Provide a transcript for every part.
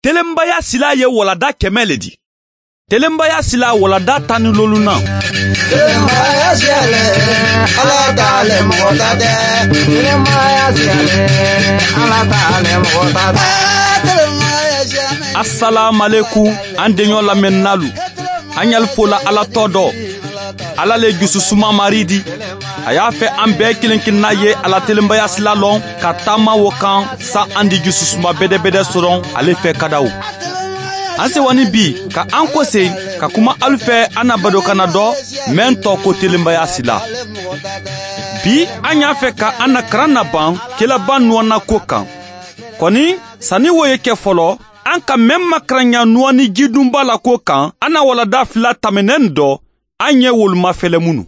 Telenbaya sila ye walada 100 le di. Telenbaya sila walada 15nan. Telenbaya siyale, Ala t'ale mɔgɔ ta tɛ. Telenbaya siyale, Ala t'ale mɔgɔ ta tɛ. Telenbaya siyale. Assalamu alaikum an deɲɔ lamɛnnalu. An y'al fola Ala tɔ dɔ. Ala le jususuma mari di. A y'a fɛ an bɛɛ kelen kelenna ye ala telenbaya sila lɔn ka taama wo kan sa an di jususuma bɛdɛbɛdɛ sɔrɔ ale fɛ kadaw. An sewani bi ka an kɔse ka kuma alu fɛ an na badokana dɔ mɛn tɔ ko telenbaya sila. Bi an y'a fɛ ka an na karan na ban kelaba nuwana ko kan. Kɔni sanni wo ye kɛ fɔlɔ, an ka mɛn makaranya nuwani jidunba la ko kan, an na walada 2 tɛmɛnɛn dɔ, an ye wolomafɛlɛ minnu.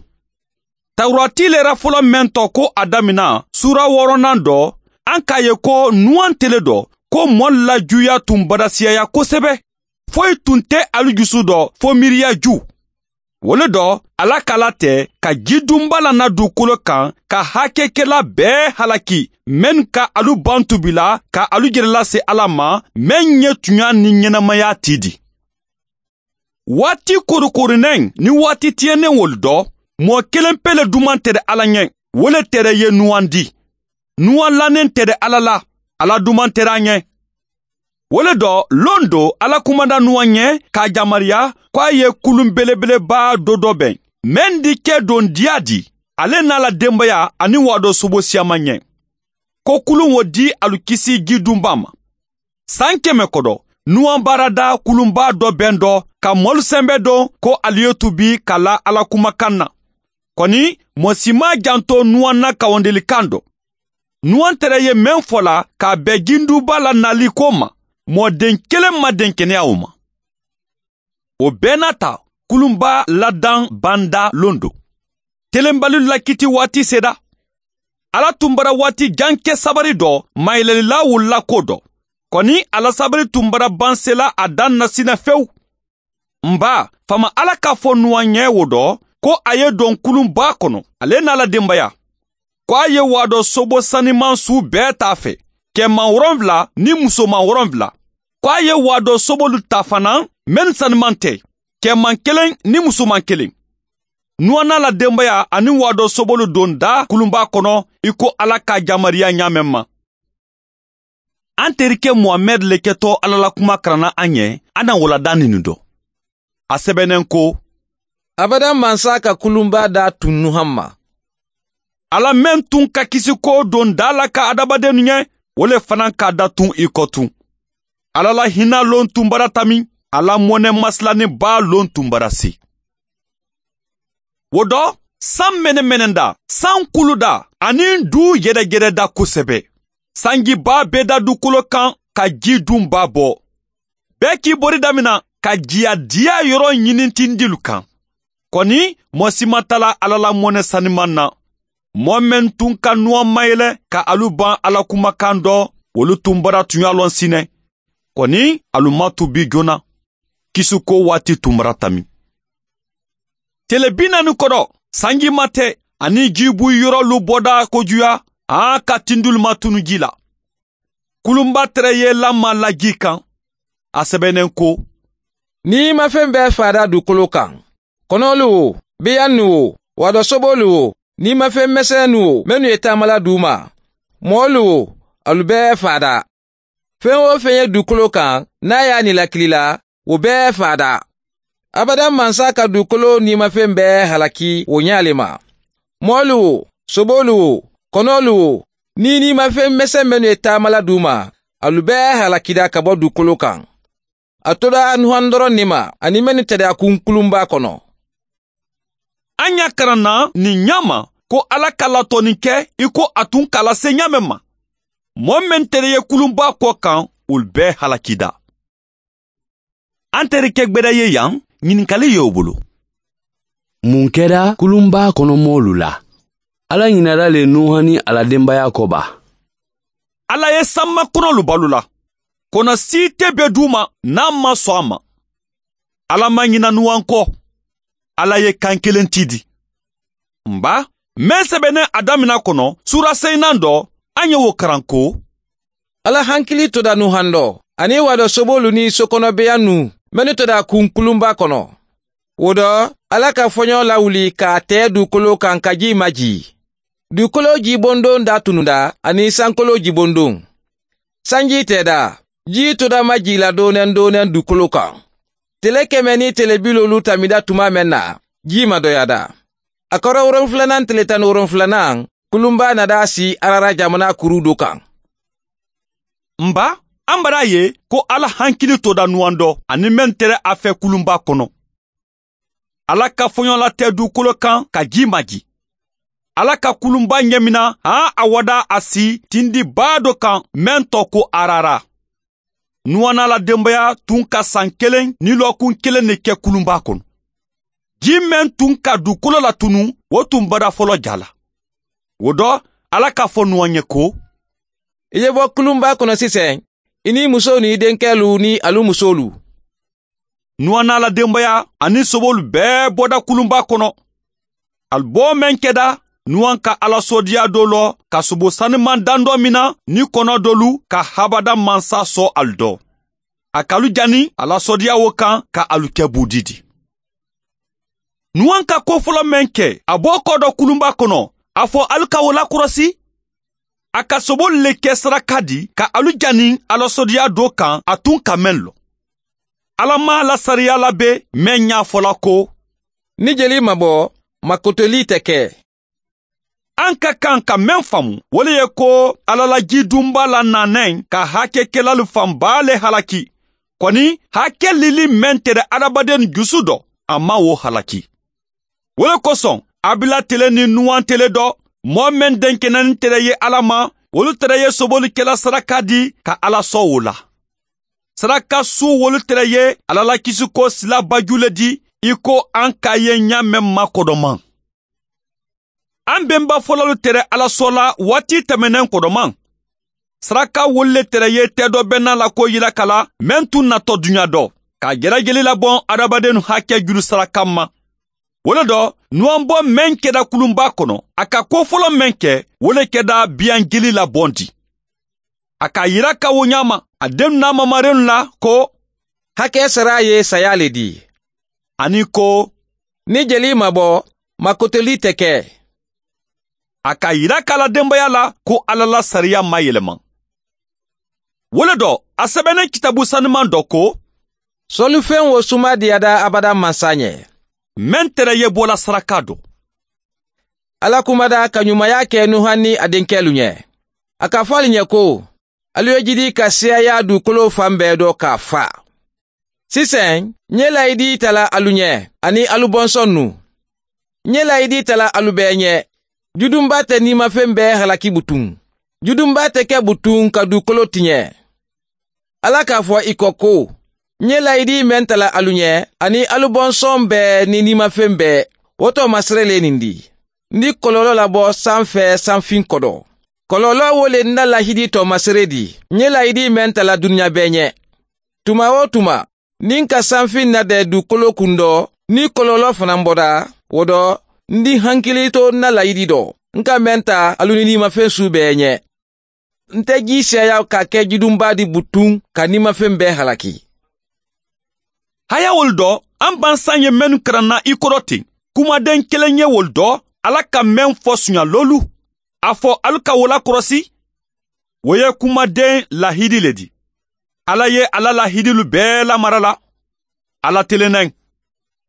Tawurati lera fɔlɔ mɛn tɔ ko a damina sura 6nan dɔ, an k'a ye ko nuwan tele dɔ, ko mɔɔ lajuya tun badasiyaya kosɛbɛ. Foyi tun tɛ alu jusu dɔ fo miiriya ju. Wo le dɔ, Ala k'ala tɛ ka jidunba lana dugukolo kan ka hakɛkɛla bɛɛ halaki mɛn ka alu ban tubila ka alu jɛrɛ lase Ala ma mɛn ye tunya ni ɲɛnamaya ti di. Waati korokoronen ni waati tiɲɛnen wolu dɔ, mɔgɔ kelen pe le duman tɛ Ala ɲɛ, wo le tɛrɛ ye nuwan di. Nuwan lanen tɛ Ala la, Ala duman tɛ a ɲɛ. Wo le dɔ, lon do Ala kumada nuwan ɲɛ k'a jamariya k'a ye kulun belebeleba dɔ dɔ bɛn. Mɛn di kɛ don diya di, ale n'a la denbaya ani wadɔ sobo siyaman ɲɛ. Ko kulun wo di alu kisi jidunba ma. San 100 kɔdɔ, nuwan baarada kulunba dɔ bɛn dɔ ka mɔlu sɛnbɛ don ko alu ye tubi ka la Ala kumakan na. Kɔni, mɔɔ si ma janto nuwan na kawandelikan dɔ. Nuwan tɛrɛ ye mɛn fɔ la k'a bɛn jinduba la nali ko ma, mɔden kelen ma den kɛnɛya o ma. O bɛɛ n'a ta, kulunba ladan banda lon don. Telenbali lakiti waati sera. Ala tun bara waati jan kɛ sabari dɔ, mayɛlɛlila wulila ko dɔ. Kɔni ala sabari tun bara ban sela a dan na sina fewu. Nba, fama Ala k'a fɔ nuwan ɲɛ wo dɔ, ko a ye don kulunba kɔnɔ, ale n'a la denbaya. Ko a ye wadɔ sobo saniman su bɛɛ t'a fɛ, cɛman 7 ni musoman 7. Ko a ye wadɔ sobolu ta fana, mɛn saniman tɛ, cɛman 1 ni musoman 1. Nuwan n'a la denbaya ani wadɔ sobolu don da kulunba kɔnɔ, i ko Ala ka jamariya ɲa mɛn ma. An terikɛ Mohamɛd le kɛtɔ Ala la kuma karanna an ɲɛ, an na walada nin dɔ. A sɛbɛnnen ko, Abada mansa ka kulunba da tun Nuhan ma. Ala mɛn tun ka kisi ko don da la ka adamaden ɲɛ, o le fana k'a da tun i kɔ tun. Ala la hinɛ lon tun bara tami, Ala mɔnɛ masilani ba lon tun bara se. Wo dɔ, san mɛnɛmɛnɛ da, san kulu da, ani du yɛrɛyɛrɛ da kosɛbɛ. Sanjiba bɛ da dugukolo kan ka ji dunba bɔ. Bɛɛ k'i bori damina ka jiya diya yɔrɔ ɲini tindilu kan. Kɔni, mɔɔ si ma tala Ala la mɔnɛ saniman na. Mɔɔ mɛn tun ka nuwan mayɛlɛ ka alu ban Ala kumakan dɔ, olu tun bara tunya lɔn sinɛ. Kɔni, alu ma tubi joona. Kisiko waati tun bara tami. Tele 40 kɔrɔ, sanji ma tɛ, ani jibu yɔrɔlu bɔda kojuya, an ka tindulu ma tunu ji la. Kulunba tɛrɛ ye lama la ji kan. A sɛbɛnnen ko, N'i ma fɛn bɛɛ fada dugukolo kan, kɔnɔlu wo, biyannu wo, wadɔsobolu wo, n'i ma fɛn misɛnnu wo, minnu ye taamala d'u ma, mɔɔlu wo, alu bɛɛ fada. Fɛn o fɛn ye dugukolo kan, n'a y'a nilakili la, o bɛɛ fada. Abada mansa ka dugukolo nimafɛn bɛɛ halaki o ɲa le ma. Mɔɔlu wo, sobolu wo, kɔnɔlu wo, ni nimafɛn misɛn minnu ye taamala d'u ma, alu bɛɛ halakida ka bɔ dugukolo kan. A tora Nuhan dɔrɔn ne ma, ani minnu tɛrɛ a kun kulunba kɔnɔ. An y'a karan na nin ɲa ma ko Ala ka latɔnni kɛ i ko a tun k'a lase ɲa mɛn ma. Mɔɔ mɛn tɛrɛ ye kulunba kɔ kan, olu bɛɛ halakida. An terikɛ gbɛdɛ ye yan, ɲininkali y'o bolo. Mun kɛra kulunba kɔnɔ mɔɔlu la? Ala ɲinara le Nuhan ni a la denbaya kɔ ba. Ala ye sanma kɔnɔlu balo la. Kɔnɔ si tɛ bɛ d'u ma n'a ma sɔn a ma. Ala ma ɲina Nuhan kɔ. Ala ye kan kelen ti di. Nba, mɛn sɛbɛnnen a damina kɔnɔ, sura 5nan dɔ, an ye wo karan ko, Ala hankili toda Nuhan dɔ, Ani wadɔ sobolu ni sokɔnɔbeyan nu minnu tɔda kun kulunba kɔnɔ. O dɔ, Ala ka fɔɲɔ lawuli k'a tɛɛ dugukolo kan ka ji maji. Dugukolo jibondon da tununda ani sankolo jibondon. Sanji tɛda, ji toda maji la doonen doonen dugukolo kan. Tele 100 ni tele 50 tamida tuma mɛn na, ji ma dɔyada. A kɔrɔ 7nan tele 17nan, kulunba nada si Arara jamana kuru do kan. Nba, an bara ye ko Ala hankili toda nuwan dɔ ani mɛn tɛrɛ a fɛ kulunba kɔnɔ. Ala ka fɔɲɔ la tɛ dugukolo kan ka ji maji. Ala ka kulunba ɲɛmina han a wada a si tindiba dɔ kan mɛn tɔ ko Arara. Nuwan n'a la denbaya tun ka san 1 ni lɔkun 1 de kɛ kulunba kɔnɔ. Ji mɛn tun ka dugukolo latunu, o tun bada fɔlɔ ja la. O dɔ, Ala k'a fɔ Nuwan ye ko, I ye bɔ kulunba kɔnɔ sisan, i ni muso ni denkɛlu ni alu musolu. Nuwan n'a la denbaya ani sobolu bɛɛ bɔda kulunba kɔnɔ. Ali bɔ mɛn kɛda, Nuwan ka Ala sɔdiya dɔ lɔ ka sobo sanuman dan dɔ mina ni kɔnɔ dɔlu ka habada mansa sɔ alu dɔ. A kalu jani ala sɔdiya wo kan ka alu kɛ budi di. Nuwan ka ko fɔlɔ mɛn kɛ, a bɔ kɔ dɔ kulunba kɔnɔ, a fɔ alu ka o lakɔrɔsi. A ka sobo le kɛ saraka di ka alu jani ala sɔdiya dɔ kan a tun ka mɛn lɔ. Ala ma la sariya labe mɛn y'a fɔla ko, ni jeli ma bɔ, makotoli tɛ kɛ. An ka kan ka mɛn faamu, o le ye ko Ala la jidunba la nanɛn ka hakɛkɛlalu fanba le halaki. Kɔni hakɛ lili mɛn tɛrɛ adamaden jusu dɔ, a ma o halaki. O le kosɔn, Abila tele ni Nuwan tele dɔ, mɔɔ mɛn denkɛnɛni tɛrɛ ye Ala ma, olu tɛrɛ ye sobolikɛla saraka di ka Ala sɔn o la. Saraka su wolu tɛrɛ ye Ala la kisiko sila baju le di, i ko an ka ye ɲa mɛn makɔdɔman. An bɛnba fɔlɔlu tɛrɛ Ala sɔ la waati tɛmɛnɛn kɔdɔman. Saraka wolu le tɛrɛ ye tɛ dɔ bɛnna la ko yira kala mɛn tun natɔ dunya dɔ, ka jɛrɛjeli labɔn adamaden hakɛ juru saraka ma. O le dɔ, Nuwan bɔ mɛn kɛda kulunba kɔnɔ, a ka ko fɔlɔ mɛn kɛ, o le kɛda biyan jeli labɔn di. A ka yira ka wo ɲa ma, a den n'a mamaren la ko, hakɛ sara ye saya le di. Ani ko, ni jeli ma bɔ, makotoli tɛ kɛ. A ka yira k'a la denbaya la ko Ala la sariya ma yɛlɛma. O le dɔ, a sɛbɛnnen kitabu sanuman dɔ ko, sɔlifɛn wo suma diyada abada mansa ɲɛ. Mɛn tɛrɛ ye bɔla saraka dɔ. Ala kumada ka ɲumanya kɛ Nuhan ni a denkɛlu ɲɛ. A ka fɔ alu ɲɛ ko, alu ye jidi ka siyaya dugukolo fan bɛɛ dɔ k'a fa. Sisan, n ye layidi tala alu ɲɛ ani alu bɔnsɔn nu. N ye layidi tala alu bɛɛ ɲɛ. Judunba tɛ nimafɛn bɛɛ halaki butun. Judunba tɛ kɛ butun ka dugukolo tiɲɛ. Ala k'a fɔ i kɔ ko, n ye layidi mɛn tala alu ɲɛ ani alu bɔnsɔn bɛɛ ni nimafɛn bɛɛ, o tɔ masere le nin di. N di kɔlɔlɔ labɔ sanfɛ sanfin kɔdɔ. Kɔlɔlɔ wo le n na lahidi tɔ masere di. N ye layidi mɛn tala dunuya bɛɛ ɲɛ. Tuma o tuma, ni n ka sanfin nadɛ dugukolo kun dɔ, ni kɔlɔlɔ fana bɔra, o dɔ, n di hankili to n na layidi dɔ. N ka mɛn ta alu ni nimafɛn su bɛɛ ɲɛ. N tɛ ji siyaya ka kɛ jidunba di butun ka nimafɛn bɛɛ halaki. Haya wolu dɔ, an bansan ye mɛnnu karanna i kɔrɔ ten. Kumaden kelen ye wolu dɔ, Ala ka mɛn fɔ suɲalolu. A fɔ alu ka wo lakɔrɔsi. O ye kumaden lahidi le di. Ala ye Ala lahidilu bɛɛ lamara la. Ala telennɛn.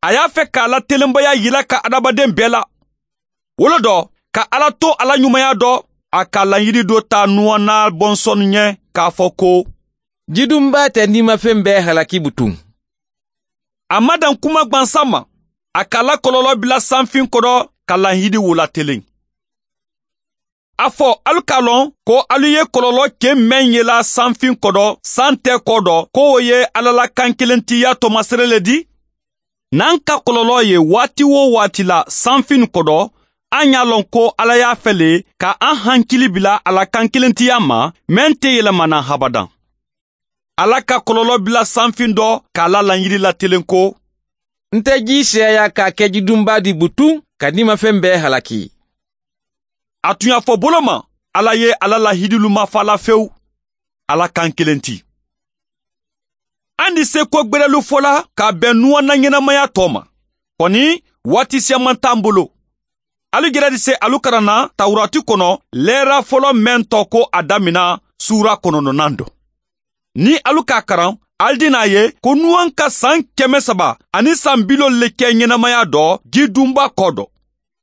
A y'a fɛ k'a la telenbaya yira ka adamaden bɛɛ la. Wolo dɔ, ka Ala to Ala ɲumanya dɔ, a ka laɲini dɔ ta Nuwan n'a bɔnsɔn ɲɛ k'a fɔ ko, jidunba tɛ nimafɛn bɛɛ halaki butun. A ma dan kuma gwansan ma, a k'a la kɔlɔlɔ bila sanfin kɔrɔ ka lahidi wo telen. A fɔ alu k'a lɔn ko alu ye kɔlɔlɔ cɛ mɛn yela sanfin kɔrɔ san tɛ kɔ dɔ k'o ye Ala la kan kelentiya tɔmasere le di. N'an ka kɔlɔlɔ ye waati o waati la sanfin kɔrɔ, an y'a lɔn ko Ala y'a fɛ le ka an hankili bila a la kan kelentiya ma mɛn tɛ yɛlɛmana habadan. Ala ka kɔlɔlɔ bila sanfin dɔ k'a la laɲini latelen ko, n tɛ ji siyaya k'a kɛ jidunba di butun ka nimafɛn bɛɛ halaki. A tun y'a fɔ bolo ma, Ala ye Ala lahidilu ma fa la fewu. Ala kan kelen ti. An di se ko gbɛrɛlu fɔla ka bɛn nuwan na ɲɛnamaya tɔ ma. Kɔni waati siyaman t'an bolo. Alu jɛrɛ di se alu karanna Tawurati kɔnɔ lɛra fɔlɔ mɛn tɔ ko a damina sura 9 dɔ. Ni alu k'a karan, alu di n'a ye ko nuwan ka san 350 le kɛ ɲɛnamaya dɔ jidunba kɔ dɔ.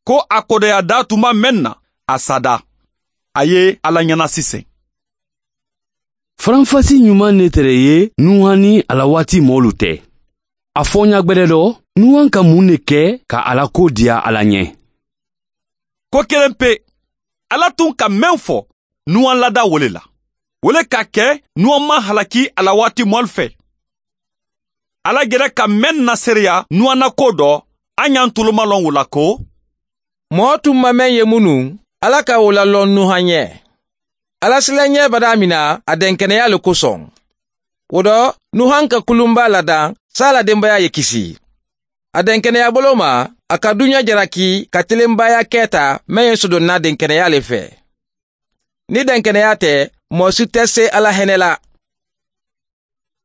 Ko a kɔdɔya da tuma mɛn na, a sada. A ye Ala ɲɛna sisan. Faranfasi ɲuman ne tɛrɛ ye Nuhan ni a la waati mɔɔlu tɛ. A fɔɲa gbɛrɛ dɔ, Nuhan ka mun de kɛ ka ala ko diya Ala ɲɛ? Ko kelen pe, Ala tun ka mɛn fɔ Nuhan lada wole la. Wole ka kɛ Nuhan ma halaki a la waati mɔli fɛ. Ala gɛrɛ ka mɛn nasereya Nuhan na ko dɔ, an y'an toloma lɔn o la ko mɔɔ tun ma mɛn ye minnu, Ala ka o lalɔn Nuhan ɲɛ. Ala silanɲɛ bada mina a dɛnkɛnɛya le kosɔn. O dɔ, Nuhan ka kulunba ladan, sa la denbaya ye kisi. A dɛnkɛnɛya bolo ma, a ka duɲa jalaki ka telenbaya kɛ ta mɛn ye sodonna dɛnkɛnɛya le fɛ. Ni dɛnkɛnɛya tɛ, mɔɔ si tɛ se Ala hɛnɛ la.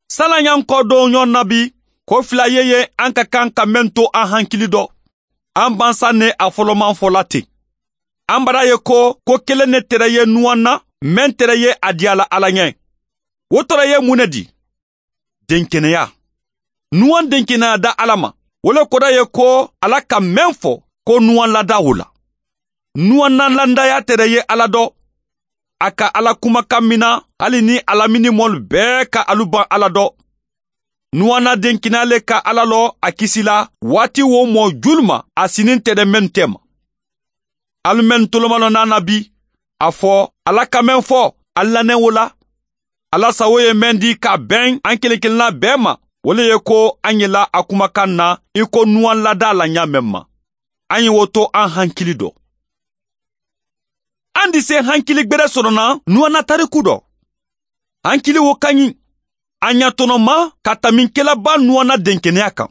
San'an y'an kɔ don ɲɔgɔn na bi, ko fila ye ye an ka kan ka mɛn to an hankili dɔ. An bansa ne a fɔlɔman fɔla ten. An bara ye ko ko kelen ne tɛrɛ ye nuwan na, mɛn tɛrɛ ye a diyala Ala ɲɛ. O tɔrɔ ye mun ne di? Denkɛnɛya. Nuwan denkɛnɛya da Ala ma. O le kɔrɔ ye ko Ala ka mɛn fɔ ko nuwan lada o la. Nuwan na landaya tɛrɛ ye Ala dɔ. A ka Ala kumakan mina hali ni alamini mɔlu bɛɛ ka alu ban Ala dɔ. Nuwan na denkɛnɛya le ka Ala lɔ a kisi la waati wo mɔ julu ma a sinin tɛ dɛ mɛn tɛ ma. Alu mɛn tolomalɔ n'a na bi, a fɔ Ala ka mɛn fɔ a lanɛ o la. Ala sago ye mɛn di ka bɛn an kelen kelenna bɛɛ ma. O le ye ko an ye la a kumakan na i ko nuwan lada la ɲa mɛn ma. An ye o to an hankili dɔ. An di se hankili gbɛrɛ sɔrɔ na nuwan na tariku dɔ. Hankili wo ka ɲi. A ɲatɔnɔma ka taminkɛlaba nuwan na denkɛnɛya kan.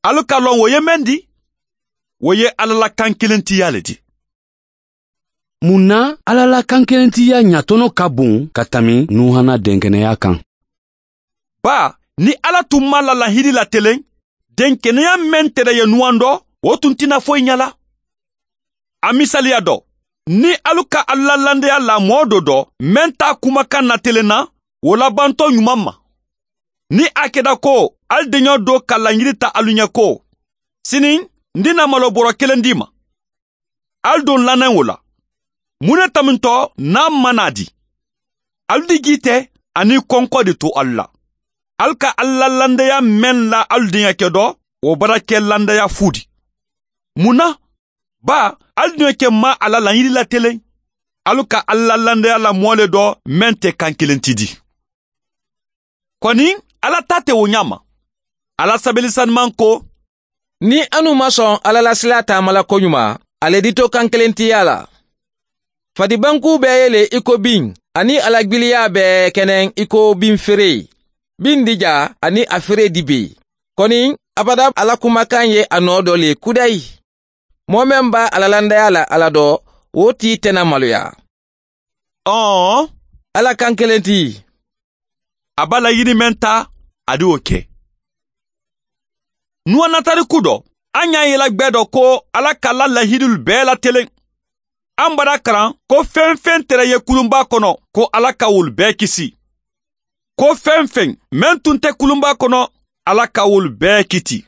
Alu ka lɔn o ye mɛn di? O ye Ala la kan kelentiya le di. Mun na Ala la kan kelentiya ɲatɔnɔ ka bon ka tami Nuhan na denkɛnɛya kan? Ba, ni Ala tun ma la lahidi latelen, denkɛnɛya mɛn tɛrɛ ye nuwan dɔ, o tun tɛna foyi ɲɛ la. A misaliya dɔ, ni alu ka Ala landaya la mɔɔ dɔ dɔ, mɛn t'a kumakan natelen na, o labantɔ ɲuman ma. Ni a kɛra ko alu deɲɔ dɔ ka laɲini ta alu ɲɛ ko, sini n dina malo bɔrɔ kelen d'i ma. Alu don lanɛ o la. Mun ne tamintɔ n'a ma n'a di? Alu di ji tɛ ani kɔnkɔ de to alu la. Alu ka Ala landaya mɛn la alu denyakɛ dɔ, o bara kɛ landaya fu di. Mun na? Ba, alu denyakɛ ma a la laɲini latelen. Alu ka Ala landaya la mɔɔ le dɔ mɛn tɛ kan kelen ti di. Kɔni, Ala ta tɛ o ɲa ma. Ala sabelisanuman ko, Ni anu ma sɔn Ala la sila taamala koɲuman, ale di to kan kelentiya la. Fadibanku bɛɛ ye le i ko bin, ani alagbiliya bɛɛ kɛnɛ i ko bin feere. Bin dija ani a feere di be. Kɔni, abada Ala kumakan ye a nɔ dɔ le kudayi. Mɔɔ mɛn b'a alalandaya la Ala dɔ, o t'i tɛna maloya. Ɔn, Ala kan kelen ti. A b'a laɲini mɛn ta, a di o kɛ. Nuwan na tariku dɔ, an y'a yela gbɛ dɔ ko Ala ka la lahidilu bɛɛ latelen. An bara karan ko fɛn fɛn tɛrɛ ye kulunba kɔnɔ, ko Ala ka wolu bɛɛ kisi. Ko fɛn fɛn mɛn tun tɛ kulunba kɔnɔ, Ala ka wolu bɛɛ kiti.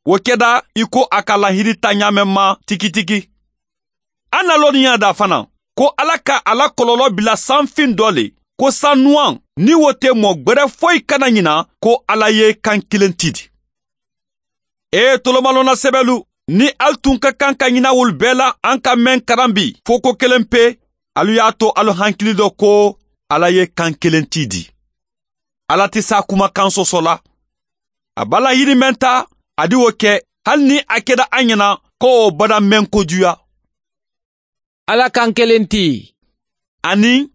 O kɛda i ko a ka lahidi ta ɲaamɛ ma tigitigi. An na lɔnniya da fana ko Ala ka a la kɔlɔlɔ bila sanfin dɔ le, ko sanuwan ni wo tɛ mɔ gbɛrɛ foyi kana ɲina ko Ala ye kan kelen ti di. E tolomalɔnna sɛbɛlu, ni alu tun ka kan ka ɲina wolu bɛɛ la an ka mɛn karan bi fo ko kelen pe, alu y'a to alu hankili dɔ ko Ala ye kan kelen ti di. Ala tɛ s'a kumakan sɔsɔ la. A b'a laɲini mɛn ta, a di o kɛ, hali ni a kɛra an ɲɛna ko o bada mɛn kojuya. Ala kan kelen ti. Ani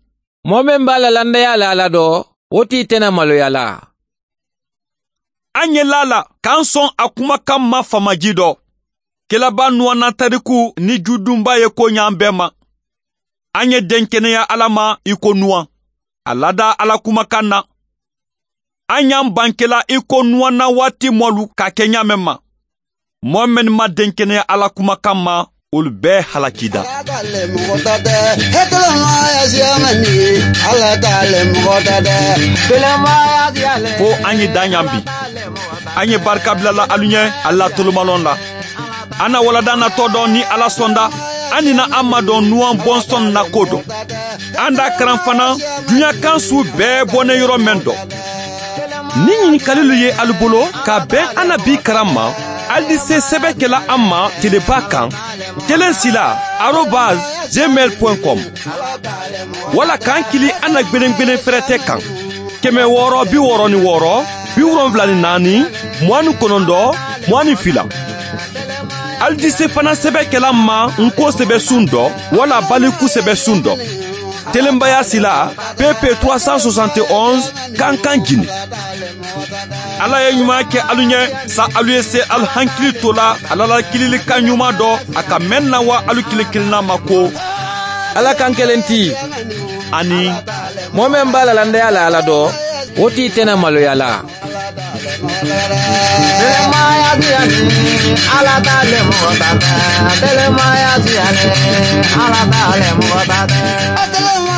mɔɔ min b'a la landaya la Ala dɔ, o t'i tɛna maloya la. An ye la la k'an sɔn a kumakan ma famaji dɔ. Kelaba nuwana tariku ni judunba ye ko ɲ'an bɛɛ ma. An ye denkɛnɛya Ala ma i ko nuwan. A lada Ala kumakan na. An y'an bankela i ko Nuwan na waati mɔlu ka kɛ ɲa mɛn ma. Mɔɔ mɛnnu ma denkɛnɛya Ala kumakan ma, olu bɛɛ halakida. Fo an ye dan yan bi. An ye barika bilala alu ɲɛ Ala tolomalɔn la. An na walada natɔ dɔ ni Ala sɔnda, an nina an madɔn Nuwan bɔnsɔn na ko dɔ. An da karan fana duɲa kan su bɛɛ bɔnɛ yɔrɔ mɛn dɔ. Ni ɲininkalilu ye alu bolo ka bɛn an na bi karan ma, alu di se sɛbɛ kɛla an ma teleba kan 1 6 @gmail point com wala k'an kili an na gbelengbelen fɛrɛtɛ kan 666 74 29 22. Alu di se fana sɛbɛ kɛla ma nko sɛbɛ sun dɔ wala baliku sɛbɛ sun dɔ. Telenbaya sila PP 371 Kankan Guinée. Ala ye ɲuman kɛ alu ɲɛ sa alu ye se alu hankili to la ala la kililikan ɲuman dɔ a ka mɛn na wa alu kelen kelenna ma ko Ala kan kelen ti ani mɔɔ mɛn b'a la landaya la Ala dɔ, o t'i tɛna maloya la. Ala t'ale mɔgɔ ta tɛ. Telemaya siyalen, Ala t'ale mɔgɔ ta tɛ.